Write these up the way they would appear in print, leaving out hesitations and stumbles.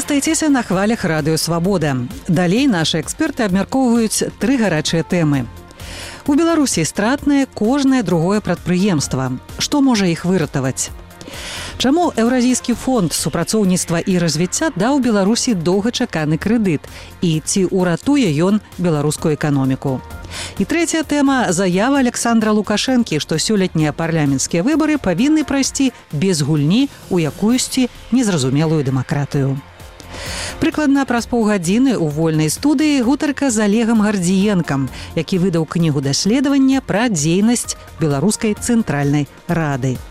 Застайцеся на хвалях радыё «Свабода». Далей нашы эксперты абмяркоўваюць 3 гарачыя тэмы. У Беларусі стратнае кожнае другое прадпрыемства. Што можа іх выратаваць? Чаму Еўразійскі фонд супрацоўніцтва і развіцця даў Беларусі доўгачаканы крэдыт? І ці ўратуе ён беларускую эканоміку? І трэцяя тэма – заява Александра Лукашэнкі, што сёлетнія парламенцкія выбары павінны прайсці без гульні ў якуюсьці незразумелую дэмакратыю. Прыкладна праз паўгадзіны ў вольнай студыі гутарка з Олегам Гардзіенкам, які выдаў кнігу даследавання пра дзейнасць Беларускай цэнтральнай рады.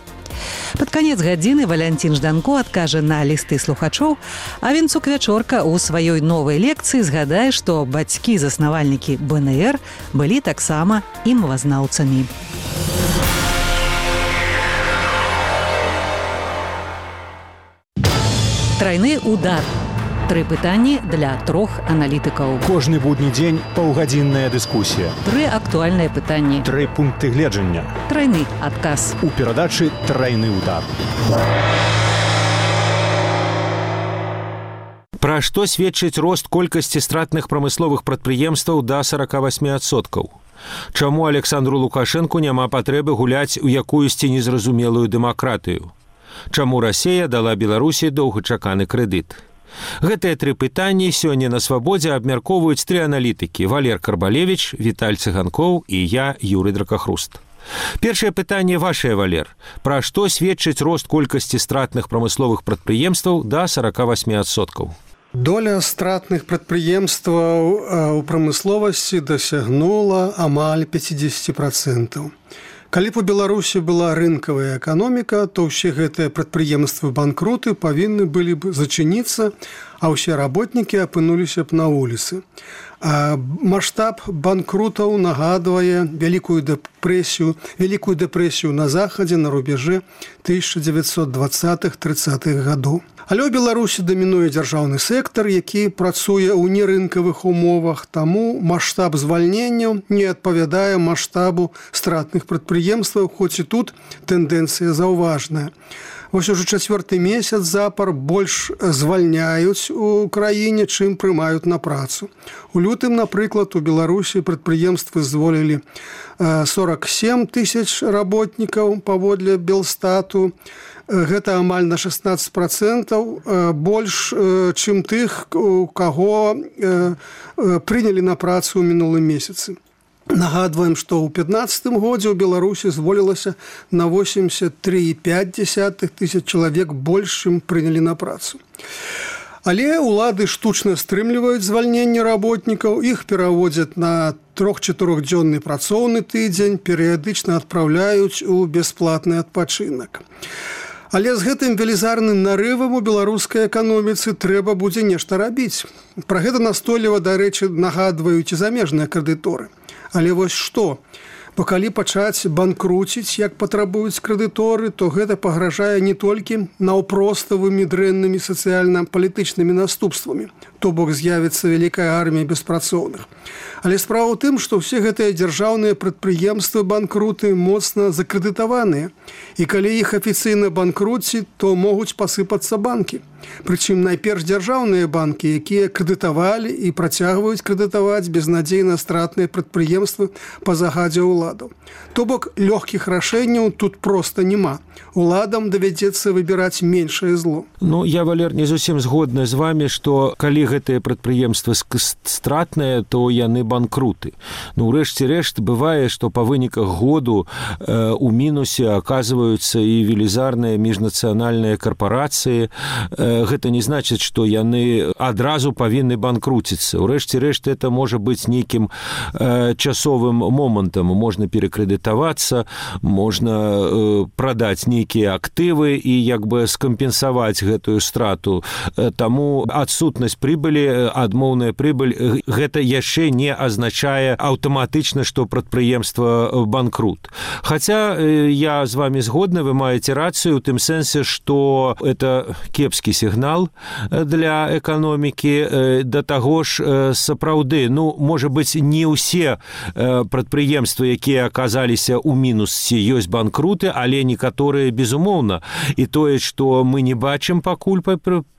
Пад канец гадзіны Валянцін Жданко адкажа на лісты слухачоў, а Вінцук Вячорка ў сваёй новай лекцыі згадае, што бацькі-заснавальнікі БНР былі таксама і мовазнаўцамі. Трайны удар. 3 пытанні для 3 аналітыкаў. Кожны будні дзень паўгадзінная дыскусія. 3 актуальныя пытанні. 3 пункты гледжання. Трайны адказ. У перадачы «Трайны удар». Пра што сведчыць рост колькасці стратных прамысловых прадпрыемстваў да 48%? Чаму Александру Лукашэнку няма патрэбы гуляць у якуюсьці незразумелую дэмакратыю? Чаму Расія дала Беларусі доўгачаканы крэдыт? Гэтыя 3 пытанні сёння на «Свабодзе» абмяркоўваюць 3 аналітыкі – Валер Карбалевіч, Віталь Цыганкоў і я, Юрый Дракахруст. Першае пытанне вашае, Валер. Пра што сведчыць рост колькасці стратных прамысловых прадпрыемстваў да 48%? Доля стратных прадпрыемстваў у прамысловасці дасягнула амаль 50%. Калі б у Беларусі была рынкавая эканоміка, то ўсе гэтыя прадпрыемствы-банкруты павінны былі б зачыніцца, а ўсе работнікі апынуліся б на вуліцы. Маштаб банкрутаў нагадвае вялікую дэпрэсію на захадзе на рубежы 1920-30-х гадоў. Але ў Беларусі дамінуе дзяржаўны сектар, які працуе ў нерынкавых умовах, таму маштаб звальненняў не адпавядае маштабу стратных прадпрыемстваў, хоць і тут тэндэнцыя заўважная. Вось ужо 4-й месяц запар больш звальняюць у краіне, чым прымаюць на працу. У лютым, напрыклад, у Беларусі прадпрыемствы зволілі 47 тысяч работнікаў паводле Белстату. Гэта амаль на 16% больш, чым тых, у каго прынялі на працу ў мінулым месяцы. Нагадваем, што ў 2015 годзе ў Беларусі зволілася на 83,5 тысяч чалавек больш, чым прынялі на працу. Але ўлады штучна стрымліваюць звальненне работнікаў, іх пераводзяць на 3-4-дзённы працоўны тыдзень, перыядычна адпраўляюць у бясплатны адпачынак. Але з гэтым велізарным нарывам у беларускай эканоміцы трэба будзе нешта рабіць. Пра гэта настойліва, дарэчы, нагадваюць і замежныя крэдыторы. Але вось што? Бо калі пачаць банкруціць, як патрабуюць крэдыторы, то гэта пагражае не толькі наўпроставымі дрэннымі сацыяльна-палітычнымі наступствамі, то бок з'явіцца вялікая армія беспрацоўных. Але справа ў тым, што ўсе гэтыя дзяржаўныя прадпрыемствы банкруты моцна закрэдытаваныя. І калі іх афіцыйна банкруціць, то могуць пасыпацца банкі. Прычым найперш дзяржаўныя банкі, якія крэдытавалі і працягваюць крэдытаваць безнадзейна стратныя прадпрыемствы па загадзе ўладаў. То бок лёгкіх рашэнняў тут проста няма. Уладам давядзецца выбіраць меншае зло. Ну, я, Валер, не зусім згодны з вами, што калі гэтыя прадпрыемствы стратныя, то яны банкруты. Ну, рэшце рэшт, бывае, што па выніках году у мінусе аказваюцца і велізарныя міжнацыянальныя карпарацыі. Гэта не значыць, што яны адразу павінны банкруціцца. Урэшце рэшт, это можа быць нейкім часовым момантам. Можна перакрэдытавацца, можна прадаць нейкія актывы і як бы скампенсаваць гэтую страту. Таму адсутнасць прыбылі, адмоўная прыбыль, гэта яшчэ не азначае аўтаматычна, што прадпрыемства банкрут. Хаця я з вами згодны, вы маеце рацыю ў тым сэнсе, што это кепскі сігнал для эканомікі. Да таго ж сапраўды, ну, можа быць, не ўсе прадпрыемствы, якія аказаліся ў мінусе, ёсць банкруты, але некаторыя безумоўна. І тое, што мы не бачым пакуль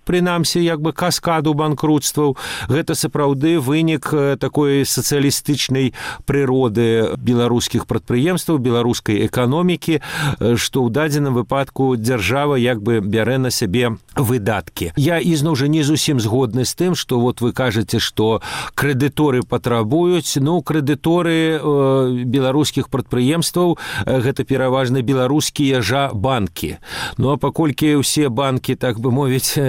прынамсі як бы каскаду банкрутстваў. Гэта сапраўды вынік такой сацыялістычнай прыроды беларускіх прадпрыемстваў, беларускай эканомікі, што ў дадзеным выпадку дзяржава як бы бярэ на сябе выдаткі. Я ізноў жа не зусім згодны з тым, што вот вы кажаце, што крэдыторы патрабуюць. Ну, крэдыторы беларускіх прадпрыемстваў гэта пераважна беларускія жа банкі. Ну, а паколькі ўсе банкі, так бы мовіць,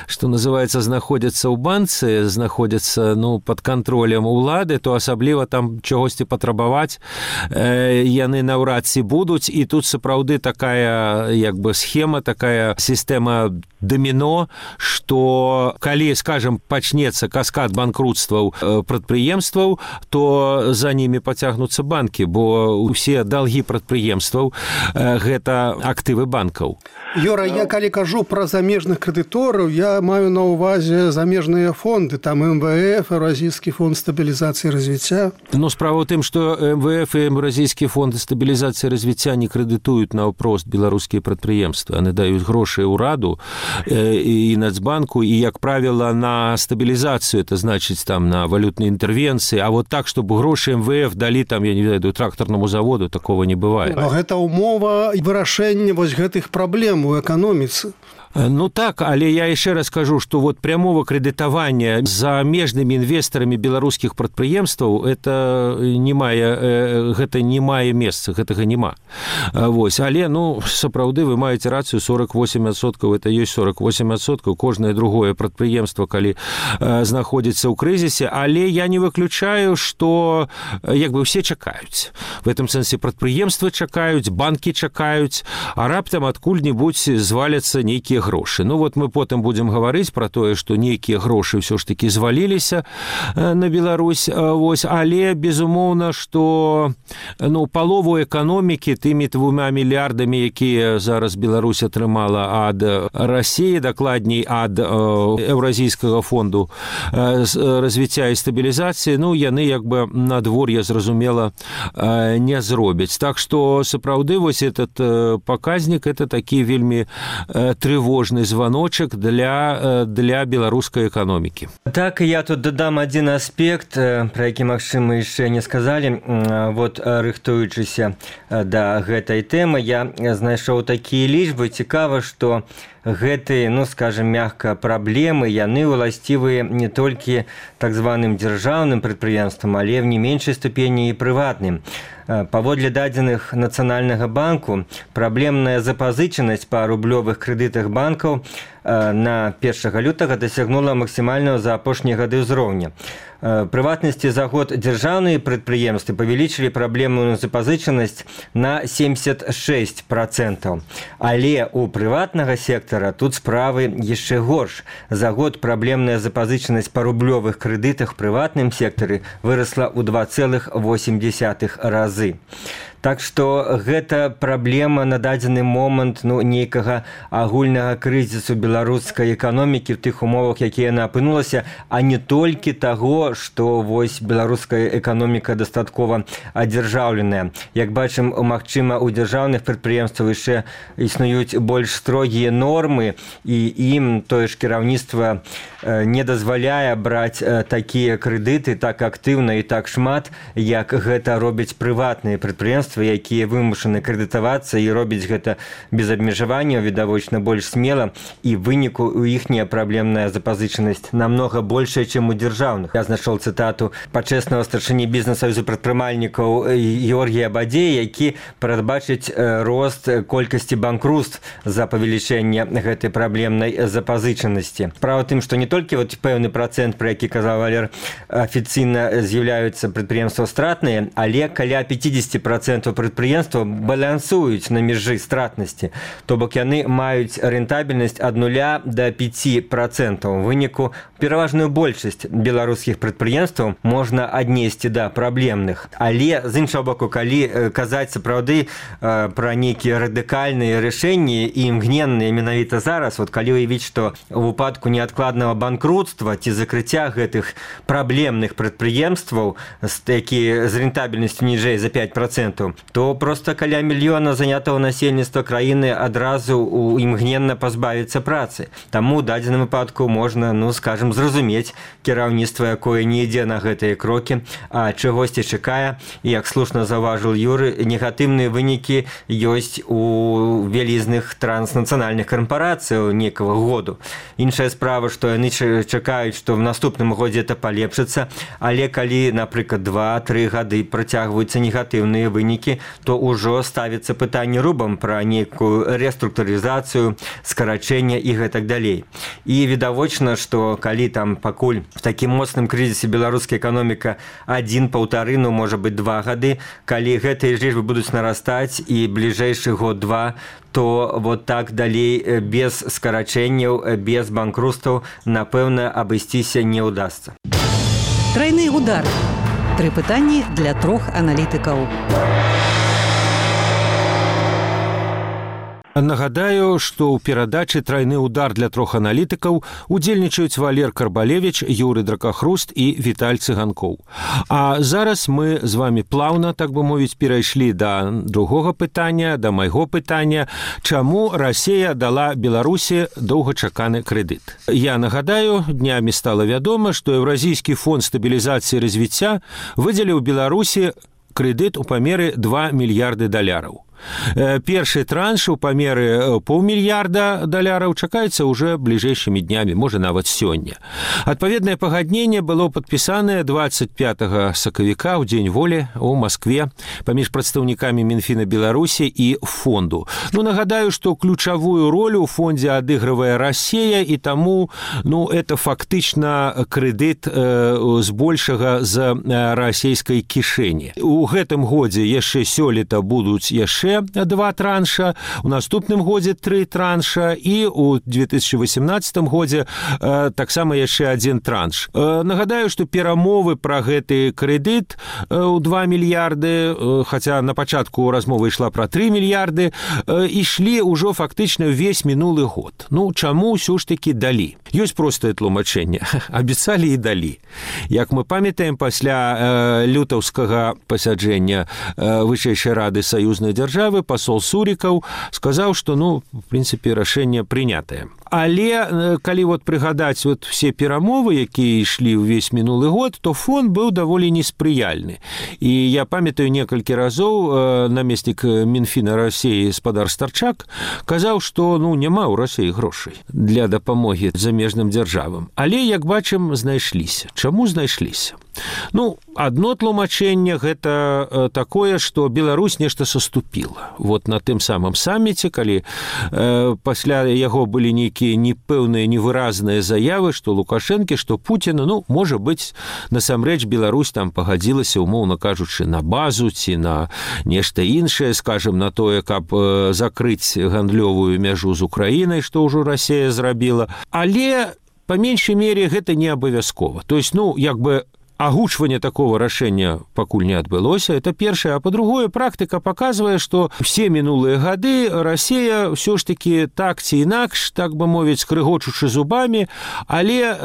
што называецца, знаходзяцца ў банцы, знаходзяцца, ну, пад кантролем улады, то асабліва там чагосьці патрабаваць яны наўрад ці будуць. І тут сапраўды такая як бы схема, такая сістэма даміно, што калі, скажем, пачнецца каскад банкрутстваў прадпрыемстваў, то за ними пацягнуцца банкі, бо ўсе далгі прадпрыемстваў гэта актывы банкаў. Юра, я калі кажу пра замежных крэдытораў, я маю на ўвазе замежныя фонды, там МВФ, Еўразійскі фонд стабілізацыі і развіцця. Ну, справа ў тым, што МВФ і Еўразійскі фонд стабілізацыі і развіцця не крэдытуюць наўпрост беларускія прадпрыемствы. Яны даюць грошы ўраду і Нацбанку, і, як правіла, на стабілізацыю, это значыць там на валютныя інтэрвенцыі, а вот так, чтобы грошы МВФ далі там, я не ведаю, трактарнаму заводу, такого не бывае. Но гэта ўмова вырашэння вось гэтых праблем у эканоміцы. Ну так, але я яшчэ раз кажу, што вот прямого крэдытавання за замежнымі інвестарамі беларускіх прадпрыемстваў гэта не мае месца, гэтага няма. Вось, але, ну, сапраўды вы маеце рацыю, 48%, это ёсць 48%, кожнае другое прадпрыемства, калі знаходзіцца ў крызісе, але я не выключаю, што як бы ўсе чакаюць. В этом сэнсе прадпрыемствы чакаюць, банкі чакаюць, а раптам адкуль-небудзь зваляцца нейкія грошы. Ну вот мы потым будзем гаварыць пра тое, што нейкія грошы ўсё ж такі зваліліся на Беларусь, вось, але безумоўна, што, ну, палову эканомікі тымі 2 мільярдамі, якія зараз Беларусь атрымала ад Расіі, дакладней ад Еўразійскага фонду развіцця і стабілізацыі, ну, яны як бы надвор'е, зразумела, не зробяць. Так што сапраўды вось этот паказнік, это такі вельмі трывожны звоночек для беларускай эканомікі. Так, я тут дадам один аспект, про які, магчыма, яшчэ не сказалі. Вот, рыхтуючыся да гэтай тэмы, я знайшоў такія лічбы. Цікава, што гэтыя, ну, скажем, мягка, праблемы, яны уласцівыя не толькі так званым дзяржаўным прадпрыемствам, але в не меншай ступені і прыватным. Паводле дадзеных Нацыянальнага банку, праблемная запазычанасць па рублёвых крэдытах банкаў на 1 лютага дасягнула максімальнага за апошнія гады ўзроўня. Прыватнасці за год дзяржаўныя прадпрыемствы павялічылі праблемную запазычанасць на 76%. Але у прыватнага сектара тут справы яшчэ горш. За год праблемная запазычанасць па рублёвых крэдытах прыватным сектары вырасла ў 2,8 разы. Так што гэта праблема на дадзены момант, ну, нейкага агульнага крызісу беларускай эканомікі в тых умовах, якія яна апынулася, а не толькі таго, што вось беларуская эканоміка дастаткова адзяржаўленая. Як бачым, магчыма, у дзяржаўных прадпрыемствах яшчэ існуюць больш строгія нормы, і ім тое ж кіраўніцтва не дазваляе браць такія крэдыты так актыўна і так шмат, як гэта робяць прыватныя прадпрыемствы, якія вымушаны крэдытавацца і робіць гэта без абмежаванняў, відавочна больш смела, і выніку у іхняя праблемная запазычанасць намнога большая, чым у дзяржаўных. Я знайшоў цытату пачэснага старшыні бізнес-саюзу прадпрымальнікаў Георгія Бадзея, які прадбачыць рост колькасці банкрутств за павелічэнне гэтай праблемнай запазычанасці. Справа тым, што не толькі вот пэўны працэнт, пра які казаў Валер, афіцыйна з'яўляюцца прадпрыемствы стратныя, але каля 50% прадпрыемстваў балансуюць на межы стратнасці, то бок яны маюць рэнтабельнасць ад 0 до 5%. У выніку пераважную большасць беларускіх прадпрыемстваў можна аднесці да праблемных. Але, з іншага боку, калі казаць сапраўды пра нейкія радыкальныя рашэнні і імгненныя менавіта зараз, вот калі уявіць, што ў выпадку неадкладнага банкрутства ці закрыцця гэтых праблемных прадпрыемстваў, якія з рэнтабельнасцю ніжэй за 5%, то просто каля мільёна занятого насельніцтва краіны адразу імгненна пазбавіцца працы. працы. Таму ў дадзеным выпадку можна, скажем, зразумець кіраўніцтва, якое не ідзе на гэтыя крокі, а чагосьці чакае. І, як слушна заўважыў Юры, негатыўныя вынікі ёсць у вялізных транснацыянальных карпарацыяў некага году. Іншая справа, што яны чакаюць, што в наступным годзе это палепшыцца, але калі, напрыклад, 2-3 гады працягваюцца негатыўныя вынікі, то ўжо ставіцца пытанне рубам пра нейкую рэструктурызацыю, скарачэнне і гэтак далей. І відавочна, што калі там пакуль в такім моцным крызісе беларуская эканоміка 1-1,5, можа быць 2 гады, калі гэтыя лічбы будуць нарастаць і бліжэйшы год-2, то вот так далей без скарачэнняў, без банкрутстваў, напэўна, абысціся не ўдасца. Трайны удар. 3 пытанні для 3 аналітыкаў. Нагадаю, што ў перадачы «Трайны удар» для 3 аналітыкаў удзельнічаюць Валер Карбалевіч, Юры Дракахруст і Віталь Цыганкоў. А зараз мы з вами плаўна, так бы мовіць, перайшлі да другога пытання, да майго пытання, чаму Расія дала Беларусі доўгачаканы крэдыт. Я нагадаю, днямі стала вядома, што Еўразійскі фонд стабілізацыі і развіцця выдзеліў Беларусі крэдыт у памеры $2 мільярды. Першы транш у памеры $500 мільярда чакаецца ўжо бліжэйшымі днямі, можа нават сёння. Адпаведнае пагадненне было падпісанае 25 сакавіка ў дзень волі ў Маскве паміж прадстаўнікамі Мінфіна Беларусі і фонду. Нагадаю, што ключавую ролю ў фондзе адыгрывае Расія, і таму это фактычна крэдыт збольшага з расійскай кішэні. У гэтым годзе яшчэ сёлета будуць яшчэ 2 транша, у наступным годзе 3 транша і у 2018 годзе таксама яшчэ 1 транш. Нагадаю, што перамовы пра гэты крэдыт у 2 мільярды, хаця на пачатку размова ішла пра 3 мільярды, ішлі ўжо фактычна ўвесь мінулы год. Чаму ўсё ж такі далі? Ёсць простае тлумачэнне. Абяцалі і далі. Як мы памятаем, пасля лютаўскага пасяджэння Вышэйшай рады саюзнай дзяржавы пасол Сурікаў сказаў, што, в прынцыпе, рашэнне прынятае. Але калі прыгадаць все перамовы, якія ішлі ўвесь мінулы год, то фон быў даволі неспрыяльны. І я памятаю, некалькі разоў намеснік Мінфіна Расіі спадар Старчак казаў, што няма ў Расіі грошай для дапамогі замежным дзяржавам. Але, як бачым, знайшліся. Чаму знайшліся? Адно тлумачэнне гэта такое, што Беларусь нешта саступіла. На тым самым саміце, калі пасля яго былі нейкія непэўныя, невыразныя заявы, што Лукашэнкі, што Пуціна, можа быць, насамрэч Беларусь там пагадзілася, умоўна кажучы, на базу ці на нешта іншае, скажем, на тое, каб закрыць гандлёвую мяжу з Украінай, што ўжо Расія зрабіла. Але, па меншай мере, гэта не абавязкова. То есть, агучванне такого рашэння пакуль не адбылося, это першае. А па-другое, практыка паказвае, што все мінулыя гады Расія ўсё ж такі так ці інакш, так бы мовіць, скрыгочучы зубамі, але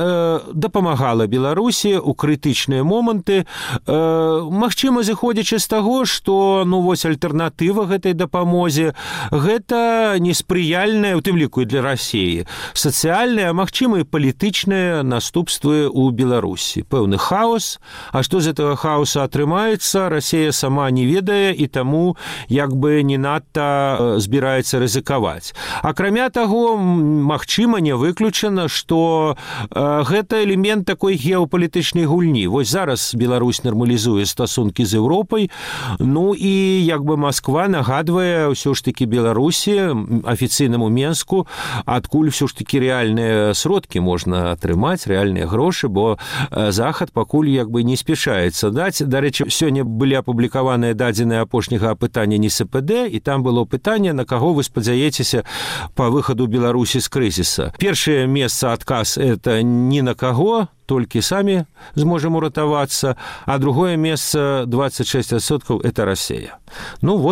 дапамагала Беларусі ў крытычныя моманты, магчыма, зыходзячы з таго, што альтэрнатыва гэтай дапамозе гэта неспрыяльная, у тым ліку і для Расіі, сацыяльная, магчыма, і палітычныя наступствы ў Беларусі. Пэўны хаос. А што з этого хаоса атрымаецца, Расія сама не ведае і таму як бы не надта збіраецца рызыкаваць. Акрамя таго, магчыма, не выключана, што гэта элемент такой геапалітычнай гульні. Зараз Беларусь нармалізуе стасункі з Еўропай, і як бы Масква нагадвае ўсё ж такі Беларусі, афіцыйнаму Менску, адкуль ўсё ж такі рэальныя сродкі можна атрымаць, рэальныя грошы, бо Захад пакуль як бы не спешаецца даць. Дарэчы, сёння былі апублікаваныя дадзеныя апошняга апытання НСПД, і там было пытанне, на каго вы спадзяецеся па выхаду Беларусі з крызіса. Першае месца адказ – это ні на каго, толькі самі зможам уратавацца, а другое месца 26% – это Расія.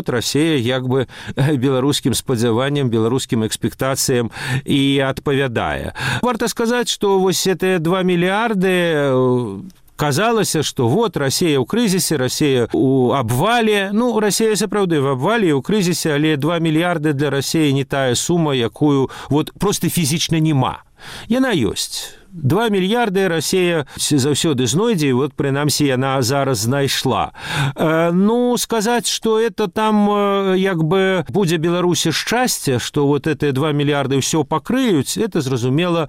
Расія як бы беларускім спадзяванням, беларускім экспектацыям і адпавядае. Варта сказаць, што эти 2 мільярды казалася, што вот Расія ў крызісе, Расія ў абвале. Ну, Расія сапраўды в абвале і ў крызісе, але 2 мільярды для Расіі не тая сума, якую вот просто фізічна нема. Яна ёсць. 2 мільярды Расія заўсёды знойдзе, і вот, прынамсі, яна зараз знайшла. Ну, сказаць, што это там як бы будзе Беларусі шчасце, што вот эти 2 мільярды ўсё пакрыюць, это зразумела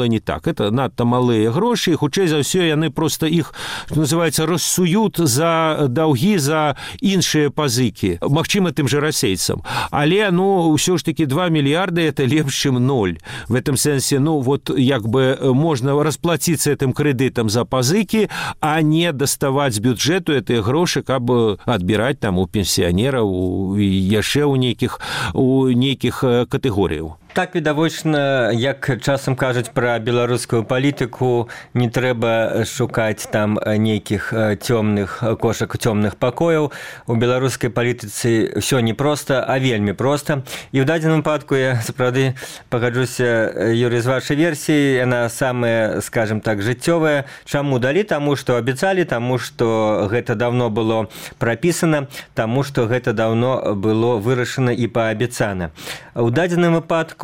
не так. Это надта малыя грошы, і хутчэй за ўсё яны просто іх, што называецца, рассуют за даўгі, за іншыя пазыкі. Магчыма, тым же расейцам. Але, ну, ўсё ж таки 2 мільярды это лепш, чым 0. В этом сэнсе, ну, вот як бы можно расплатиться этим кредитом за пазыки, а не доставать с бюджету эти гроши, каб отбирать там у пенсионеров и яшчэ у нейкіх катэгорыяў. Так, відавочна, як часам кажуць пра беларускую палітыку, не трэба шукаць там нейкіх цёмных кошак, цёмных пакояў. У беларускай палітыцы ўсё не проста, а вельмі проста. І ў дадзеным выпадку я сапраўды пагаджуся, Юрый, з вашай версіі, яна самая, скажем так, жыццёвая. Чаму далі? Таму, што абяцалі, таму, што гэта давно было прапісана, таму, што гэта давно было вырашана і паабяцана. У дадзеным выпадку,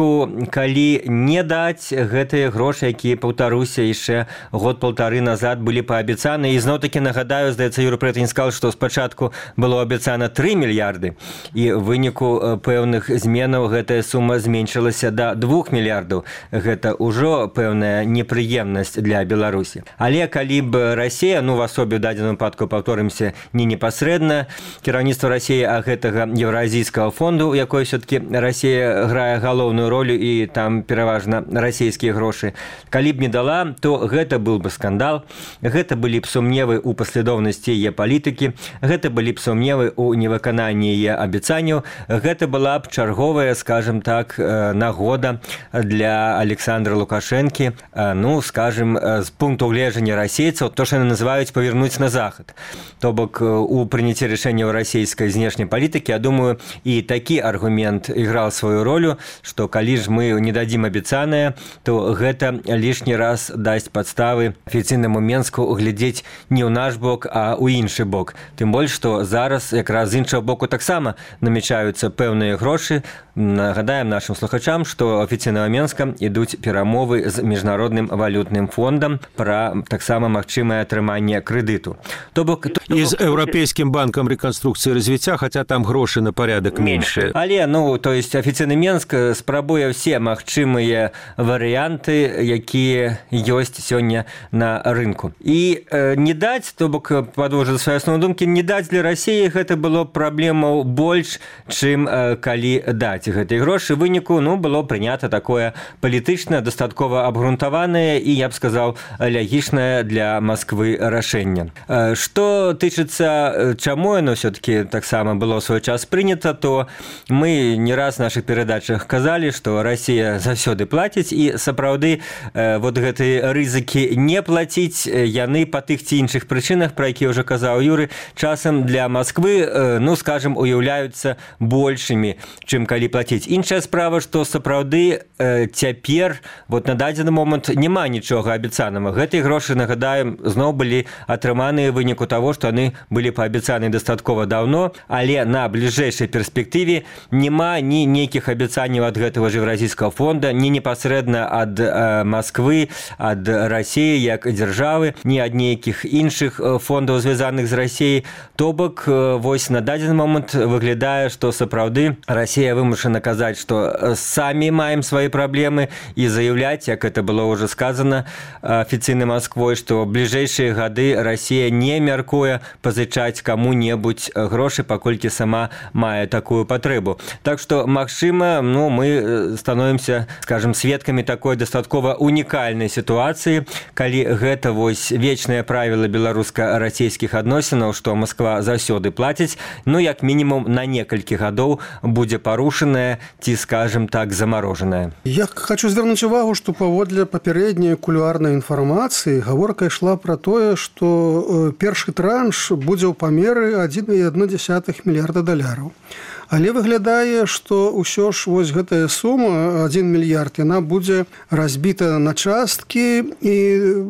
калі не даць гэтыя грошы, якія, паўтаруся, яшчэ год-паўтары назад былі паабяцаны, і зноў-такі нагадаю, здаецца, Юрый Прэтань сказал, што спачатку было абяцана 3 мільярды, і ў выніку пэўных зменаў гэтая сума зменшылася да 2 мільярдаў. Гэта ўжо пэўная непрыемнасць для Беларусі. Але калі б Расія, ну, в асобе ў дадзеным выпадку, паўторымся, не непасрэдна, кіраўніцтва Расіі, а гэтага Еўразійскага фонду, у якой все-таки Расія грае галоўную ролю і там пераважна расійскія грошы. Калі б не дала, то гэта быў бы скандал, гэта былі б сумневы ў паслядоўнасці яе палітыкі, гэта былі б сумневы ў невыкананні яе абяцанняў, гэта была б чарговая, скажем так, нагода для Александра Лукашэнкі, ну, скажем, з пункту гледжання расейцаў, то, што яны называюць павернуць на захад. То бок, у прыняцці рашэнняў расійскай знешняй палітыкі, я думаю, і такі аргумент іграў сваю ролю, што калі ж мы не дадзім абяцанае, то гэта лішні раз дасць падставы афіцыйнаму Менску глядзець не ў наш бок, а ў іншы бок. Тым больш, што зараз якраз з іншага боку таксама намячаюцца пэўныя грошы. Нагадаем нашим слухачам, што афіцыйнага Менска ідуць перамовы з міжнародным валютным фондам пра таксама магчымае атрыманне крэдыту. То бок, і з Еўрапейскім банкам рэканструкцыі і развіцця, хаця там грошы на парадак меншыя. Але, ну, то есть афіцыйны Менск спрабуе ўсе магчымыя варыянты, якія ёсць сёння на рынку. І не даць, то бок, падвожу за свае асноўныя думкі, не даць для Расіі гэта было праблемаў больш, чым калі даць гэтыя грошы. Выніку, ну, было прынята такое палітычна, дастаткова абгрунтаванае і, я б сказаў, лягічнае для Масквы рашэнне. Што тычыцца, чаму яно все-таки таксама было ў свой час прынята, то мы не раз в наших перадачах казалі, што Расія заўсёды плаціць, і сапраўды вот гэтыя рызыкі не плаціць, яны па тых ці іншых прычынах, пра якія ўжо казаў Юры, часам для Масквы, ну, скажем, уяўляюцца большымі, чым калі плаціць. Іншая справа, што сапраўды цяпер, вот на дадзены момант няма нічога абяцанага. Гэтыя грошы, нагадаем, зноў былі атрыманыя ў выніку таго, што яны былі паабяцаны дастаткова даўно, але на бліжэйшай перспектыве няма ні нейкіх абяцанняў ад гэтага ж Еўразійскага фонда, ні непасрэдна ад Масквы, ад Расіі як дзяржавы, ні ад нейкіх іншых фондаў, звязаных з Расіяй. То бок, вось на дадзены момант выглядае, што сапраўды Расія вымушана казаць, што самі маем свае праблемы, і заяўляць, як это было ўжо сказана афіцыйнай Масквой, што ў бліжэйшыя гады Расія не мяркуе пазычаць каму-небудзь грошы, паколькі сама мае такую патрэбу. Так што, магчыма, ну, мы становімся, скажем, сведкамі такой дастаткова унікальнай сітуацыі, калі гэта вось вечнае правіла беларуска-расійскіх адносінаў, што Масква заўсёды плаціць, ну, як мінімум на некалькі гадоў будзе парушаная ці, скажем так, замарожаная. Я хочу звярнуць увагу, што паводле папярэдняй кулуарнай інфармацыі гаворка ішла пра тое, што першы транш будзе ў памеры 1,1 мільярда даляраў. Але выглядае, што ўсё ж вось гэтая сума 1 мільярд, яна будзе разбіта на часткі, і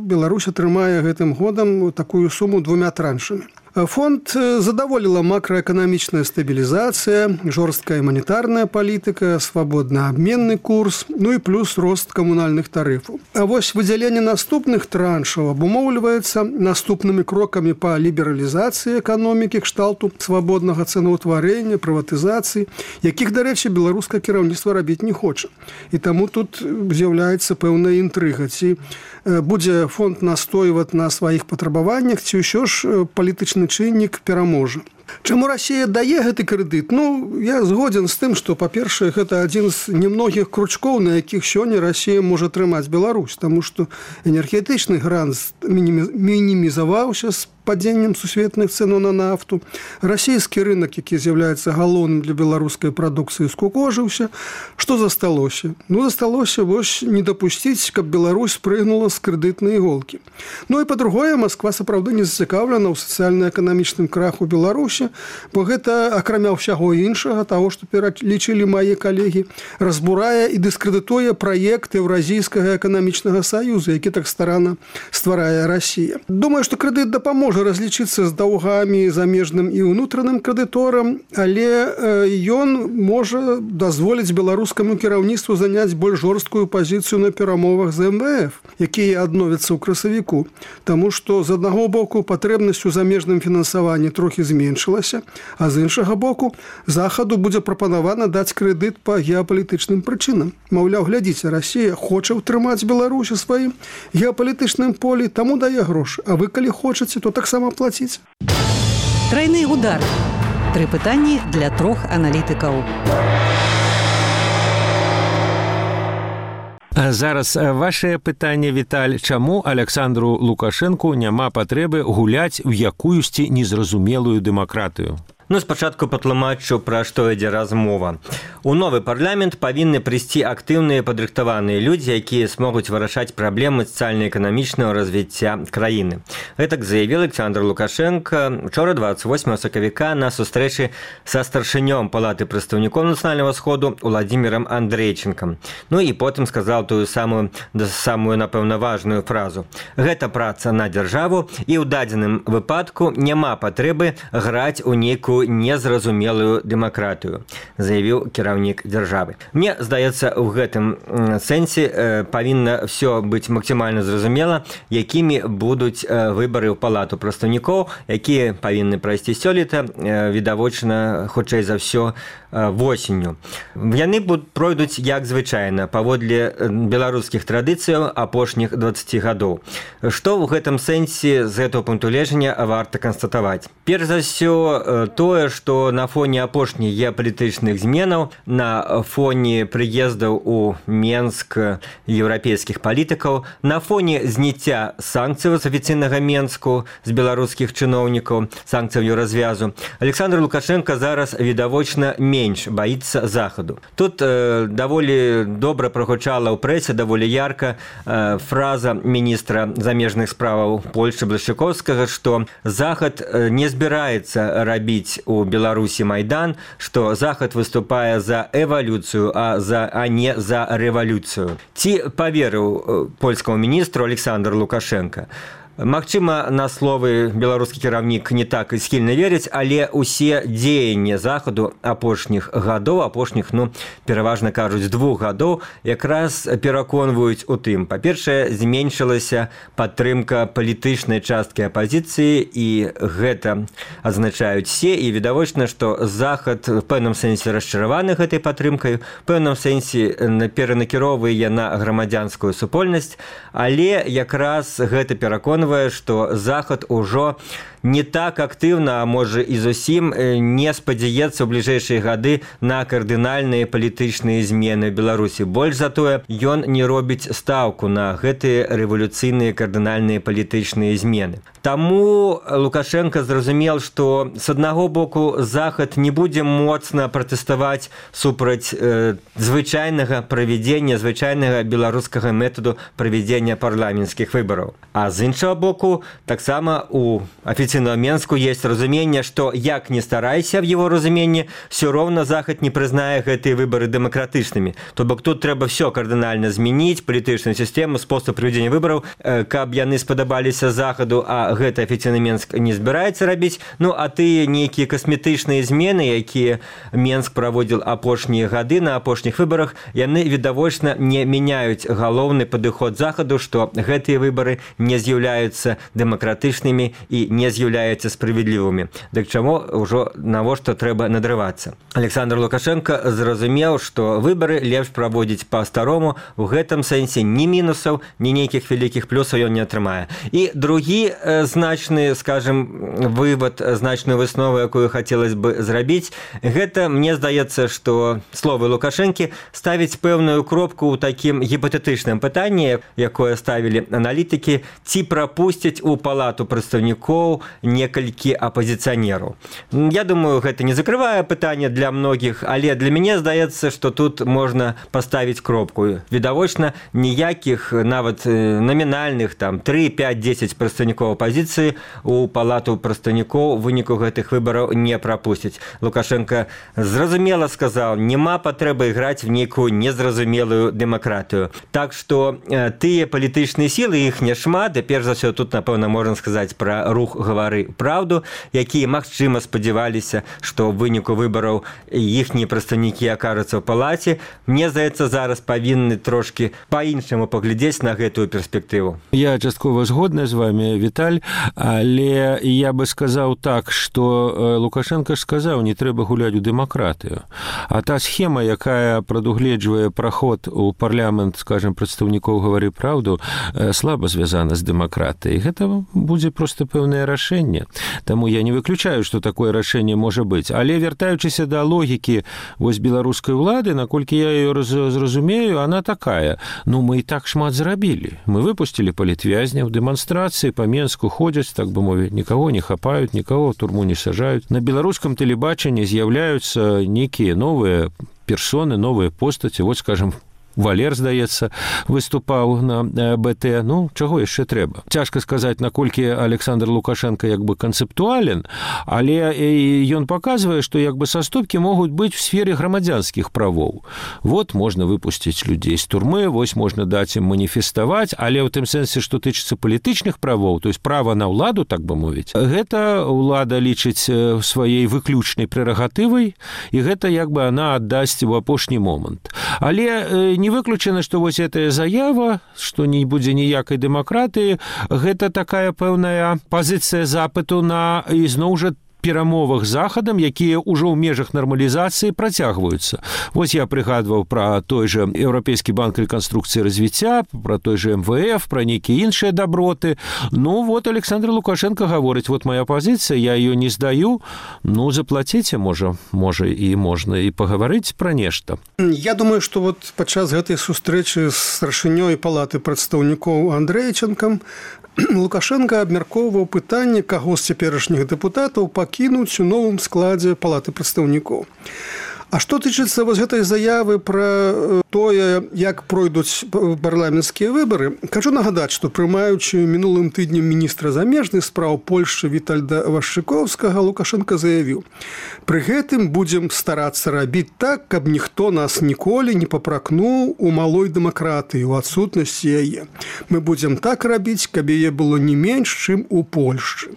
Беларусь атрымае гэтым годам такую суму 2 траншамі. Фонд задаволила макроэкономичная стабилизация, жесткая монетарная политика, свободный обменный курс, ну и плюс рост коммунальных тарифов. А вот выделение наступных траншев обумовливается наступными кроками по либерализации экономики, кшталту свободного ценоутворения, приватизации, яких, до речи, белорусское кіраўніцтва робить не хочет. И тому тут з'является певная интрига. Ці будзе фонд настойваць на своих патрабаваннях, ці ўсё ж палітычны чыннік пераможа. Чаму Расія дае гэты крэдыт? Я згоден з тым, што, па-першае, гэта адзін з немногіх кручкоў, на якіх сёння Расія можа трымаць Беларусь, таму што энергетычны грант мінімізаваўся з падзеннем сусветных цэнаў на нафту. Расійскі рынок, які з'яўляецца галоўным для беларускай прадукцыі, скукожыўся. Што засталося? Засталося вось не дапусціць, каб Беларусь спрыгнула з крэдытнай іголкі. І па-другое, Масква сапраўды не зацікаўлена ў сацыяльна-эканамічным краху Беларусі, бо гэта, акрамя ўсяго іншага, таго, што пералічылі мае калегі, разбурае і дыскрэдытуе праект Еўразійскага эканамічнага саюза, які так старанна стварае Расія. Думаю, што крэдыт дапаможа разлічыцца з даўгамі замежным і ўнутраным крэдыторам, але ён можа дазволіць беларускаму кіраўніцтву заняць больш жорсткую пазіцыю на перамовах з МВФ, якія адновяцца ў красавіку. Таму што з аднаго боку патрэбнасць у замежным фінансаванні трохі зменшылася, а з іншага боку Захаду будзе прапанавана даць крэдыт па геапалітычным прычынам. Маўляў, глядзіце, Расія хоча ўтрымаць Беларусь у сваім геапалітычным полі, таму дае грошы. А вы, калі хочаце, то таксама плаціць. Трайны удар. 3 пытанні для 3 аналітыкаў. Зараз ваше пытанне, Віталь, чаму Александру Лукашэнку няма патрэбы гуляць у якуюсьці незразумелую дэмакратыю? Спачатку патлумачу, пра што ідзе размова. У новы парламент павінны прыйсці актыўныя падрыхтаваныя людзі, якія смогуць вырашаць праблемы сацыяльна-эканамічнага развіцця краіны. Гэтак заявіў Александр Лукашенко учора 28 сакавіка на сустрэчы са старшынём Палаты прадстаўнікоў Нацыянальнага сходу Владимиром Андрейченком. І потым сказаў тую самую, напэўна, важную фразу. Гэта праца на дзяржаву, і ў дадзеным выпадку няма патрэбы граць у нейкую незразумелую дэмакратыю, заявіў кіраўнік дзяржавы. Мне здаецца, у гэтым сэнсе павінна ўсё быць максімальна зразумела, якімі будуць выбары ў Палату прадстаўнікоў, якія павінны прайсці сёлета, відавочна, хутчэй за ўсё, восенню. Яны пройдуць як звычайна, паводле беларускіх традыцыяў апошніх 20 гадоў. Што ў гэтым сэнсе з гэтага пункту гледжання варта канстатаваць? Перш за ўсё, тое, што на фоне апошніх геапалітычных зменаў, на фоне прыездаў у Менск еўрапейскіх палітыкаў, на фоне зняцця санкцыяў з афіцыйнага Менску з беларускіх чыноўнікаў, санкцыяў Еўразвязу, Александр Лукашенко зараз відавочна менш баіцца Захаду. Тут даволі добра прагучала ў прэсе, даволі ярка фраза міністра замежных справаў Польшчы Блашчыкоўскага, што Захад не збіраецца рабіць у Беларусі Майдан, што Захад выступае за эвалюцыю, а не за рэвалюцыю. Ці паверыў польскаму міністру Александр Лукашенко? Магчыма, на словы беларускі кіраўнік не так і схільна верыць, але ўсе дзеянні Захаду апошніх гадоў, пераважна кажуць, 2 гадоў, якраз пераконваюць у тым. Па-першае, зменшылася падтрымка палітычнай часткі апазіцыі, і гэта адзначаюць все, і відавочна, што Захад в пэўным сэнсе расчараваны гэтай падтрымкай, в пэўным сэнсе перанакіроўвае на грамадзянскую супольнасць, але якраз гэта пераконвае, што Захад ужо не так актыўна, а можа і зусім не спадзяецца ў бліжэйшыя гады на кардынальныя палітычныя змены ў Беларусі. Больш за тое, ён не робіць стаўку на гэтыя рэвалюцыйныя кардынальныя палітычныя змены. Таму Лукашенко зразумеў, што з аднаго боку Захад не будзе моцна пратэставаць супраць звычайнага правядзення, звычайнага беларускага метаду правядзення парламенцкіх выбараў. А з іншага боку, таксама у афіцыйнага Менску есть разуменне, што як не старайся в его разуменні, все роўна Захад не прызнае гэтыя выбары дэмакратычнымі. То бок тут трэба все кардынальна змяніць, палітычную сістэму, спосаб правядзення выбараў, каб яны спадабаліся Захаду, а гэта афіцыйны Менск не збіраецца рабіць. Ну, а тыя нейкія касметычныя змены, якія Менск праводзіў апошнія гады на апошніх выбарах, яны відавочна не мяняюць галоўны падыход Захаду, што гэтыя выбары не з'яўляюцца дэмакратычнымі і не з'яўляюцца справядлівымі. Дык чаму ўжо навошта трэба надрывацца? Александр Лукашенко зразумеў, што выбары лепш праводзіць па-старому, у гэтым сэнсе ні мінусаў, ні нейкіх вялікіх плюсаў ён не атрымае. І другі значны, скажем, вывод, значную выснову, якую хацелось бы зрабіць, гэта, мне здаецца, што словы Лукашэнкі ставіць пэўную кропку ў такім гіпатэтычным пытанні, якое ставілі аналітыкі, ці прапусцяць у палату прадстаўнікоў некалькі апазіцыянераў. Я думаю, гэта не закрывае пытанне для многіх, але для мяне здаецца, што тут можна паставіць кропку. Відавочна, ніякіх нават намінальных там 3, 5, 10 прадстаўнікоў апазіцыі у палату прадстаўнікоў у выніку гэтых выбараў не прапусцяць. Лукашенко зразумела сказаў, няма патрэбы іграць в нейкую незразумелую дэмакратыю. Так што тыя палітычныя сілы, іх няшмат, і перш за ўсё тут, напэўна, можна сказаць пра рух «Гавары праўду», якія, магчыма, спадзяваліся, што ў выніку выбараў іхнія прадстаўнікі акажуцца ў палаце. Мне здаецца, зараз павінны трошкі па-іншаму паглядзець на гэтую перспектыву. Я часткова згодны з вами, Віталь, але я бы сказаў так, што Лукашенко ж сказаў, не трэба гуляць у дэмакратыю. А та схема, якая прадугледжвае праход у парламент, скажем, прадстаўнікоў «Гавары праўду», слаба звязана з дэмакратыяй. Гэта будзе проста пэўнае рашэнне. Таму я не выключаю, што такое рашэнне можа быць. Але вяртаючыся да логікі вось беларускай улады, наколькі я ее зразумею, она такая. Ну, мы і так шмат зрабілі. Мы выпусцілі палітвязняў, дэманстрацыі па Менску ходзяць, так бы мовіць, нікаго не хапаюць, нікаго ў турму не сажаюць. На беларускам тэлебачанні з'яўляюцца нейкія новыя персоны, новыя постаці. Вот, скажем, Валер, здаецца, выступаў на БТ. Ну, чаго яшчэ трэба? Цяжка сказаць, наколькі Александр Лукашенко як бы канцэптуален, але ён паказвае, што як бы саступкі могуць быць в сфере грамадзянскіх правоў. Вот можна выпусціць людзей з турмы, вось можна даць ім маніфеставаць, але ў тым сэнсе, што тычыцца палітычных правоў, то есть права на ўладу, так бы мовіць, гэта ўлада лічыць сваёй выключнай прэрагатывай, і гэта як бы она аддасць у апошні момант. Але не выключана, што вось гэтая заява, што не будзе ніякай дэмакратыі, гэта такая пэўная пазіцыя запыту на ізноў жа перамовах з Захадам, якія ўжо ў межах нармалізацыі працягваюцца. Вось я прыгадваў пра той жа Еўрапейскі банк рэканструкцыі і развіцця, пра той жа МВФ, пра нейкія іншыя даброты. Ну, вот Александр Лукашенко гаворыць, вот моя пазіцыя, я ее не здаю, ну, заплаціце, можа, і можна і пагаварыць пра нешта. Я думаю, што вот падчас гэтай сустрэчы з старшынёй палаты прадстаўнікоў Андрэйчанкам Лукашенко абмяркоўваў пытанне, каго з цяперашніх дэпутатаў пакінуць у новым складзе палаты прадстаўнікоў. А што тычыцца вось гэтай заявы пра тое, як пройдуць парламенцкія выбары, хочу нагадаць, што прымаючы мінулым тыднем міністра замежных спраў Польшчы Вітальда Вашчыкоўскага, Лукашенко заявіў: «Пры гэтым будзем старацца рабіць так, каб ніхто нас ніколі не папракнуў у малой дэмакратыі, у адсутнасці яе. Мы будзем так рабіць, каб яе было не менш, чым у Польшчы».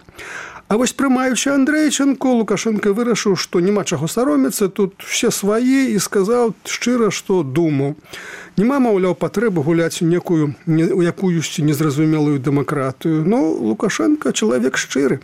А вось прымаючы Андрэйчанку, Лукашенко вырашыў, што няма чаго саромецца, тут все свае, і сказаў шчыра, што думаў. Нема, маўляў, патрэбы гуляць у некую, у якуюсьці незразумелую дэмакратыю. Ну, Лукашенко чалавек шчыры.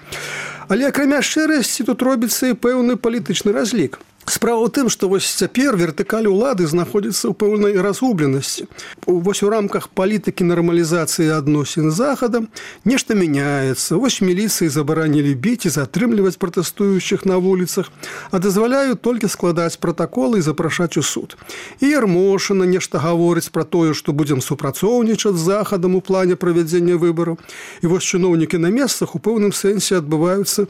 Але акрамя шчырасці тут робіцца і пэўны палітычны разлік. Справа ў тым, што вось цяпер вертыкаль улады знаходзіцца ў пэўнай разгубленасці. Вось у рамках палітыкі нармалізацыі адносін з Захадам нешта мяняецца. Вось міліцыі забаранілі біць і затрымліваць пратэстуючых на вуліцах, а дазваляюць толькі складаць пратаколы і запрашаць у суд. І Ярмошына нешта гаворыць пра тое, што будзем супрацоўнічаць з Захадам у плане правядзення выбараў. І вось чыноўнікі на месцах у пэўным сэнсе адбываюцца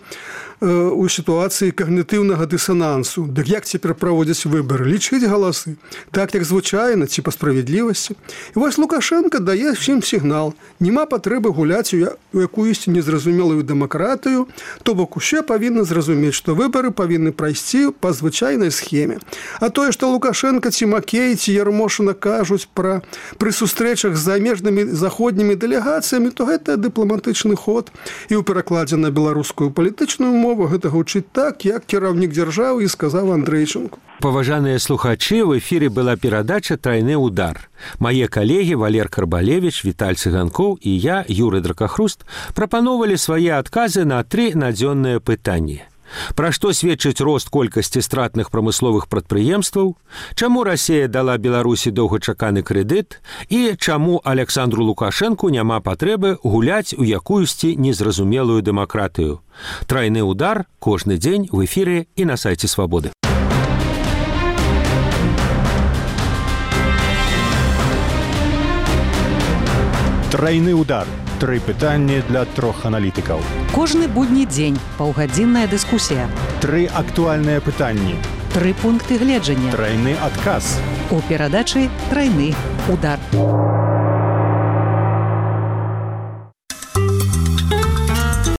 у сітуацыі кагнітыўнага дысанансу. Дык як цяпер праводзяць выбары? Лічыць галасы. Так, як звычайна, ці па справядлівасці. І вось Лукашенко дае всім сігнал. Няма патрэбы гуляць у якуюсьці незразумелую дэмакратыю, то бок усе павінны зразумець, што выбары павінны прайсці па звычайнай схеме. А тое, што Лукашенко ці Макей, ці Ярмошына кажуць пры сустрэчах з замежнымі заходнімі дэлегацыямі, то гэта дыпламатычны ход. І ў перакладзе на беларускую палітычную мову гэта гучыць так, як кіраўнік дзяржавы і сказаў Андрэйчанку. Паважаныя слухачы, в эфіры была перадача «Трайны удар». Мае калегі Валер Карбалевіч, Віталь Цыганкоў і я, Юры Дракахруст, прапановалі свае адказы на 3 надзённыя пытанні. Пра што сведчыць рост колькасці стратных прамысловых прадпрыемстваў, чаму Расія дала Беларусі доўгачаканы крэдыт і чаму Александру Лукашэнку няма патрэбы гуляць у якуюсьці незразумелую дэмакратыю. «Трайны удар» кожны дзень в эфіры і на сайце Свабоды. Трайны удар. 3 пытанні для 3 аналітыкаў. Кожны будні дзень паўгадзінная дыскусія. 3 актуальныя пытанні. 3 пункты гледжання. Трайны адказ. У перадачы «Трайны удар».